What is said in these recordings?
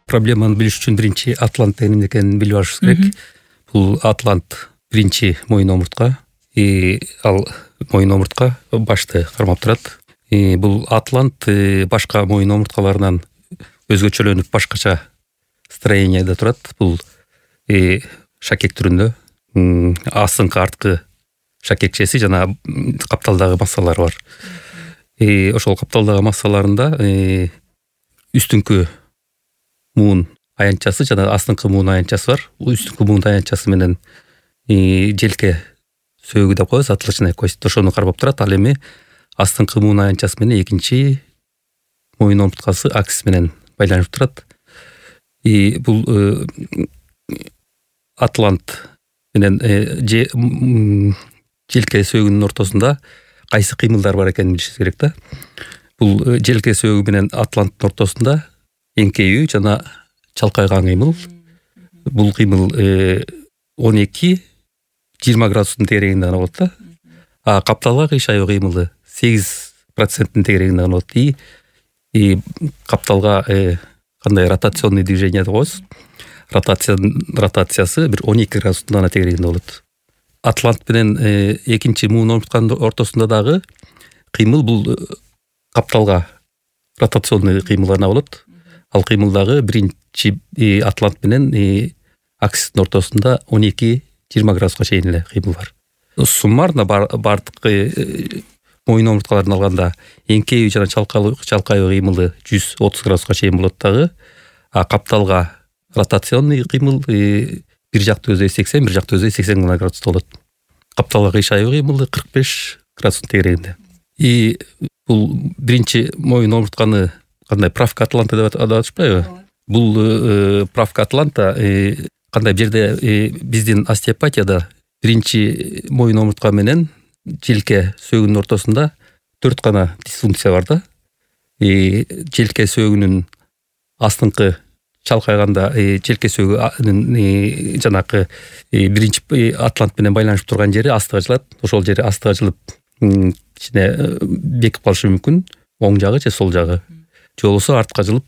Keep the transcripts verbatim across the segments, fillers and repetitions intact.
проблеманы билиш үчүн биринчи атлант эмне экенин билип алышыбыз керек. Бул атлант биринчи моюн омуртка. Ал моюн омуртка башты кармап турат. Бул атлант башка моюн омурткаларынан өзгөчөлөнүп башкача строенияда турат. Бул шакек түрүндө, астыңкы арткы шакекчеси жана капталдагы массалары бар. Ошол капталдагы массаларында үстүңкү муун аянтчасы жана астыңкы муун аянтчасы бар. Үстүңкү муун аянтчасы менен желке сөөгү деп коебуз, затылочная кость. Ошону кармап турат. Ал эми астыңкы муун аянтчасы менен экинчи моюн омурткасы аксис менен байланышып турат. И бул атлант менен желке сөөгүнүн ортосунда кайсы кыймылдар бар экенин билишибиз керек да. Бул желке сөөгү менен атланттын ортосунда эңкеүү жана чалкайган кыймыл. Бул кыймыл он эки жыйырма градустун тегерегинде гана болот да. А капталга кыйшайуу кыймылы сегиз проценттин тегерегинде гана болот. И капталга кандай ротационный движение деп коебуз. Ротация ротациясы бир он эки градустун гана тегерегинде болот. Атлант менен экинчи муун омуртканын ортосунда дагы кыймыл бул капталга ротационный кыймыл гана болот. Ал кыймыл дагы биринчи атлант менен аксистин ортосунда он эки жыйырма градуска чейин эле кыймыл бар. Суммарно бардык моюн омурткаларын алганда эңкеүү жана чалкайуу кыймылы жүз отуз градуска чейин болот дагы. А капталга ротационный кыймыл бир жакты өздөй сексен, бир жакты өздөй сексен градуста болот. Капталга кыйшайуу кыймылы кырк беш градустун тегерегинде. И бул биринчи моюн омуртканы кандай правка атланта деп аташпайбы? Бул правка атланта кандай бир жерде биздин остеопатияда биринчи моюн омуртка менен желке сөөгүнүн ортосунда төрт гана дисфункция бар да. Желке сөөгүнүн астыңкы чалкайганда желке сөөгүнүн жанакы биринчи атлант менен байланышып турган жери астыга жылат. Ошол жери астыга жылып кичине бекип калышы мүмкүн, оң жагы же сол жагы. Же болбосо артка жылып,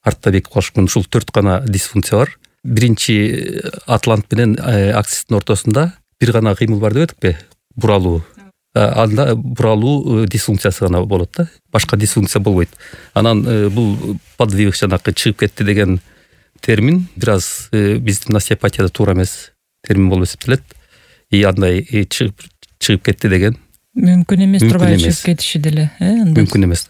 артта бекип калышы мүмкүн. Ушул төрт гана дисфункция бар. Биринчи атлант менен аксистин ортосунда бир гана кыймыл бар деп этикпи? Буралуу. Анда буралуу дисфункциясы гана болот да. Башка дисфункция болбойт. Анан бул подвиг жанакы чыгып кетти деген термин бир аз биздин остеопатияда туура эмес термин болуп эсептелет. И андай чыгып чыгып кетти деген мүмкүн эмес, турбай чыгып кетиши деле, э? Мүмкүн эмес.